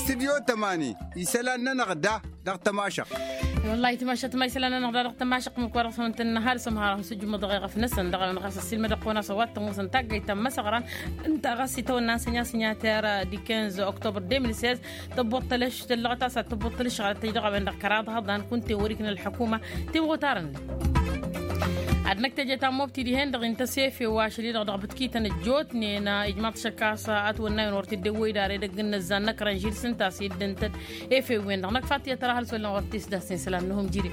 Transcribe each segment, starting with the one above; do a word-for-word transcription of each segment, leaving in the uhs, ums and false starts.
Stidyo tămani isălan-nănăɣ da dăɣ-tămašăɣt. Wăllah itmašăt ma isălan-nănăɣ da dăɣ-tămašăɣt măkk wa dăɣ-s măntăn n-ăhalǝs ămhăr a-s ǝjǝmmăḍ ɣef-năsăn dăɣ-a-wen ɣas ăssiilmădăɣ-kăwăn a-s a-wa t-ămoosăn taggayt ta n-imăsăɣran ǝnta ɣas itawănna n-sănyasinyater. Di quinze octobre deux mille seize tăbbuḍ tălăš tăllăɣăt a-s ad-tăbbuḍ tălăšɣălăt tăjdăɣ a-wen-dăɣ kăraḍ hăḍan kunta i-wăr-ikna ălḥăkuma timɣutarăn-năk. Ad-năkk teje ta n-mobti dihen-dăɣ intăs efew ašăl-i-dăɣ dăɣ-bǝtkităn ăjjootnen ijmaḍ-t šăkk a-s ătwănna a-wen wăr t-dd-ewwăy d-ara edăgg n-inăzzan n-ăkrăn žil s-ǝnta a-s dd-ǝntăd efew-wen-dăɣ năkk fatiya tăra hal s-wăllan wăr t-isdasnen isălan n-ehum jire.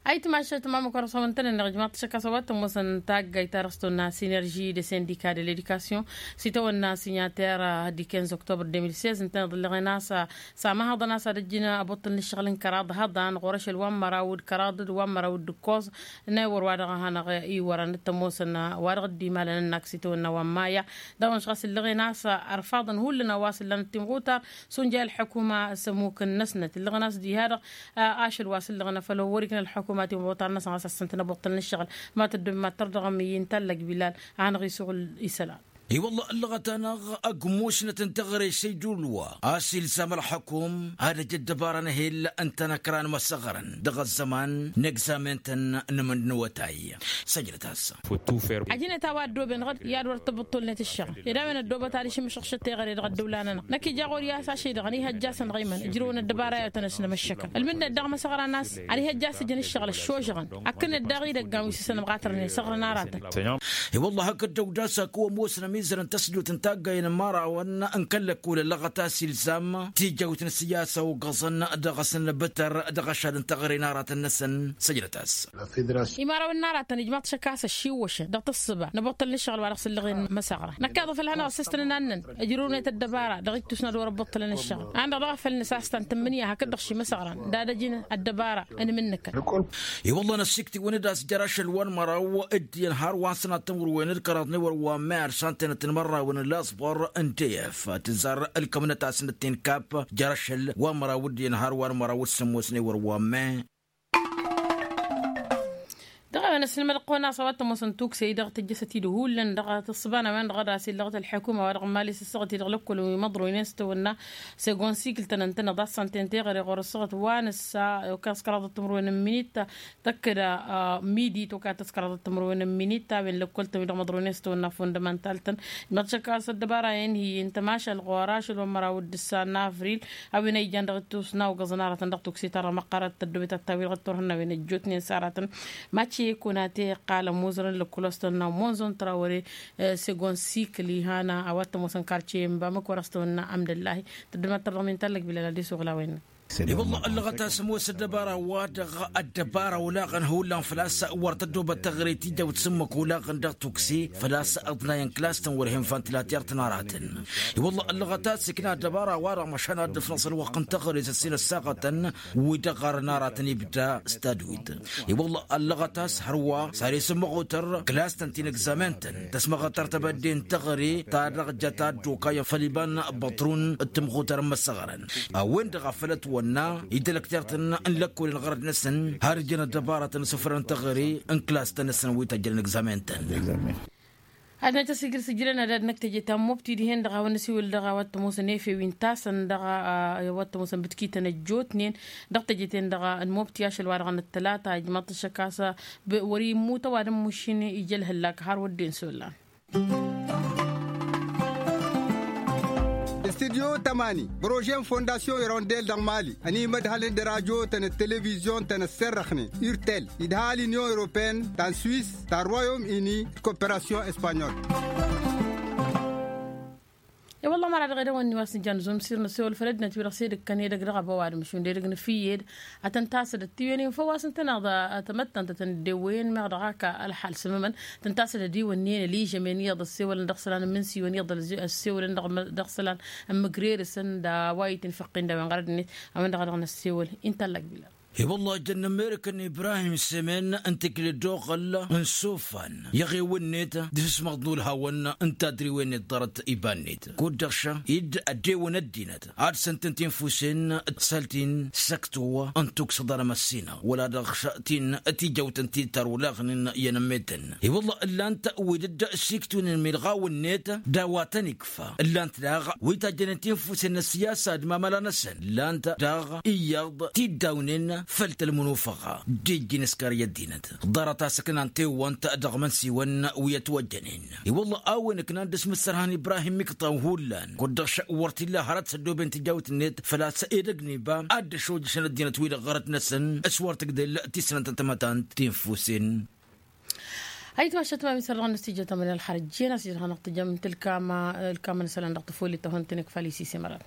Ayǝtmašat ma măkăr s-awăn-tăn-ănneɣ ijmaḍ-t šăkk a-s a-wa t-ămoosăn taggayt ta dăɣ-s tăwănna sinerži de sindika de ledikasyon s-itawănna sinyater. Di quinze octobre deux mille seize ǝntăneḍ ǝllăɣen a-s samăhăḍăn a-s ad-ăjjǝn ăbuṭṭǝl n-ǝššăɣǝl n-kăraḍ hăḍan ɣur-ašăl wa n-măraw d-kăraḍ d-wa n-măraw d-ǝkkoẓ n-ewăr wa dăɣ-hanăɣ-iwărăn d-tămoosăn wa dăɣ-dd-imalăn ănn-ak s-itawănna wa n-maya. Dăɣ-wa n-išɣas ǝllăɣen a-s ărfaḍăn hullan a-wa s-ǝllanăt timɣutar s-unjay ălḥăkuma s-ămmuk n-năsnăt ǝllăɣen a-s diha-dăɣ. Ašăl wa s-ǝllăɣen a făl wăr-ikna ălḥăkuma timɣutar-năsăn ɣas a-s ǝntănăbuṭṭăl n-ǝššăɣǝl. Ma tăddom ma t-tărdăɣăm i-intallăg bilal a hanăɣ-isuɣǝl isălan. I-wălla ăllăɣăt-anăɣ ăgg musnăt n-teɣăre s-ăydulwa a-s ilzam ălxăkum ad-ăj ăddăbara n-ehel ǝntănăkra n-imăsăɣrăn dăɣ-ăzzăman n-egzamen-tăn n-imǝnnǝwătay. Săjdăt-as. Ăjnăt a-wa ăddooben ɣǝd i-ad-wăr tǝbǝṭṭulnet ǝššăɣǝl ed a-wen ăddoobăt ad-išǝmmǝšăɣšăt teɣăre dăɣ-ăddăwla-nănăɣ năkk ija ɣur-i a-s ašăy-dăɣ ăniihăjja-săn dăɣ-imăn ǝjrǝwăn ăddăbara i-ad-tăn-ăsnămăššăkăn ǝlmǝdnet daɣ imăsăɣra n-a-s ăniihăjja a-s ǝjăn ǝššăɣǝl ăššožăɣăn. Ăkkănet daɣ idăggan wi s-isănămɣatărnen săɣrăn aratăn. I-wălla hakd dăw-dd-a-s akǝwăn ămoosăn ămizăr n-tăsdut n-taggayen n-imărawăn n-kăl-lăkkol ăllăɣăt a-s ilzam tijawt n-siyasa ogăẓăn dăɣ-s n-bǝtăr dăɣ-ašad n-teɣăre n-aratăn-năsăn. Săjdăt-as. Imărawăn n-aratăn ijmaḍ-t šăkk a-s ăššiwwăšăn dăɣ-tǝssǝba n-abuṭṭăl n-ǝššăɣǝl wa dăɣ-s ǝllăɣen imăsăɣra năkk iḍǝf ălhănăɣ s-ăstănăn annăn ǝjrǝwnăt ăddăbara dăɣ-ittus n-ad-wăr-ăbbuṭṭălăn ǝššăɣǝl. An-dăɣ dăɣ-afăl nǝsas ta n-tǝmmǝnǝya hakd-dăɣ šimăsăɣran d-ad-ăjǝn ăddăbara n-imǝnnǝkăn. I-wălla năssiktǝwăn-dd a-s jer-ašăl wa n-măraw d-iyyăn har wa n-sănat timǝrwen d-kăraḍ n-ewăr wa n-măyar s-antenăt n-imărrawen n-laẓbăr n-teyăf tǝzzar ǝlkămnăt-asnăt tenkap jer-ašăl wa n-măraw d-iyyăn har wa n-măraw d-sǝmmos n-ewăr wa n-măyar. Dăɣ-a-wen ăsnămăd ăqqăwăn a-s a-wa t-ămoosăn tukse-i-dăɣ tǝjjăsăt-dd hullan dăɣ-tǝssǝba n-a-wen-dăɣ ad-asǝllăɣăt ălḥăkuma wa dăɣ-n mali s-ǝssăɣăt-i-dăɣ lăkkol wi măḍroynen s-tawănna segon sikǝl-tăn ǝntăneḍ a-s ăntăneḍ teɣăre ɣur-ǝssăɣăt wa nǝssa. Okăs kăraḍăt timǝrwen n-minit tăkkăd midi tokatăt kăraḍăt timǝrwen n-minit a-wen lăkkol-tăn-wi-dăɣ măḍroynen s-tawănna fundămantal-tăn. Măḍšăk a-s ăddăbara-en hi-ǝnta mašal ɣur-ašăl wa n-măraw d-ǝssa n-avril a-wen a ijan dăɣ-ittus n-awgăẓăn aratăn dăɣ-tukse-ta-dăɣ măqqărăt tăddobet ad-tawǝy dăɣ-dd-turhǝnnawen ăjjootnen s-aratăn. Mače kunate iqqal ămuzărăn lăkkulos-tăn n-amonzon trawăre segon sikǝl ihan a-wa t-ămoosăn karce n-bamăk wăr-ăstăwănna amdăllahi. Tăddămat tărdăɣ min tallăg bilal ad-isuɣǝl a-wen-năk. I-wălla ăllăɣăt a-s ămoos ăddăbara-wa-dăɣ ăddăbara olaɣăn hullan făl-a-s wăr tăddobăt teɣăre tijawt s-ǝmmǝk olaɣăn dăɣ-tukse făl-a-s ǝḍnayăn klas-tăn wăr hen fantilater-tăn aratăn. I-wălla ăllăɣăt a-s ikna ăddăbara-wa-dăɣ măšan ad-dd-ǝfnăẓăn wăqq n-teɣăre s-ăssin ăssaɣătăn wi dăɣ-ɣarăn aratăn ibda s-tadwit. I-wălla ăllăɣăt a-s hărwa s-ad-isǝmmăɣutăr klas-tăn ti n-egzamen-tăn tăsmăɣătăr tebădde n-teɣăre ta dăɣ-jăt ad-dd-okayăn făll-iba n-băṭrun d-timɣutăr n-imăsăɣrăn. A-wen-dăɣ a făl ătwănna idălăkter-tăn n-lăkkolăn ɣărăd-năsăn har ǝjăn ăddăbaratăn s-ǝfrăn teɣăre n-klas-tăn-năsăn wi tăjjălăn egzamen-tăn. Ad-năj tăsigǝl s-ǝjrăn ad-ad-năkk teje ta n-mobti dihen-dăɣ a-wa n-năsiwǝl dăɣ-a-wa t-ămoosăn efew intasăn dăɣ-a-wa t-ămoosăn bǝtkităn ăjjootnen dăɣ-teje-ten-dăɣ n-mobti ašăl wa dăɣ-năttălata ijmaḍ-t ăššăk a-s wăr-immut ăwadǝm mušin ija ălhăllak har wădden s-ollan. Studyo tămani prože n-fondasyon irondel dăɣ-mali ănimădhălăn d-radyo-tăn d-televizyon-tăn ăssărrăxnen urtel idha l-inyon europene ta n-swis ta n-royom ini d-koperasyon espanyol. I-wălla măra dăɣ-edăwănni wa s-nǝja n-zumsir n-ăssewăl făll-ăddinăt wi-dăɣ s-edăgg kăn edăgg dăɣ-ăbăwadǝm šund edăgg n-efǝyyed ad-tăn-tasădăt tiwenen făw-wa s-ǝntăneḍ. Tămăttăntăt n-ăddewăyăn meɣ dăɣ-ak ălḥal s-ămămăn tăn-tasădăt iwănnen ăližămen iyyăḍ ăssewălăn dăɣ-isălan n-imǝnsiwăn iyyăḍ ăssewălăn dăɣ-isălan n-imǝgrerǝsăn d-a-wa itǝnfăqqin d-a-wen ɣărăd-net. A-wen-dăɣ a dăɣ-năssewăl inta ăllăg bilal. I-wălla ăjjănnăm merăkăn ibrahim semen n-tikli d-oɣăl n-sofan i-aɣewăn-net d-isǝsmăḍ n-ulhawăn n-tadriwen-net ḍarăt iba-net kud-dăɣ-ša dd-ăddewăn ăddinăt ad-săntăn tinfusen d-săltin săktuwă n-tuksăḍ anămăssinăɣ wăla dăɣ-ša tin tijăwtăn ti-tarulaɣnen i-anămmetăn. I-wălla ǝllan-t wi dd-siktunen milɣaw-net d-a-wa tăn-ikfa ǝllan-t daɣ wi tajjănen tinfusen n-ăssiyasa d-mamăla-năsăn ǝllan-t daɣ iyyăḍ t-dd-awnen făll-tălmǝnufăɣa d-ijjin ăskar i-ăddinăt ḍarăt a-s ǝknan tewwănt dăɣ-imănsiwăn wi ătwăjjănen. I-wălla a-wen ǝknan d-asmǝssărhan ibrahim ikṭan hullan kud-dăɣ š-wăr t-illa hărăt s-ăddooben tijawt-net făl-a-s edăgg n-iba ad-dd-ăšojjăšăn ăddinăt wi-dăɣ ɣărăt-năsăn s-wăr tǝgdel tisnant n-tamătant tinfusen. Ayǝtmašat ma misăr dăɣ-năstijăt amănel xarăt jena s-jăr hanăɣ-tǝjăm tǝlkam ǝlkam n-isălan dăɣ-tăfoli tăhon tǝnǝk făll-isis imărăn.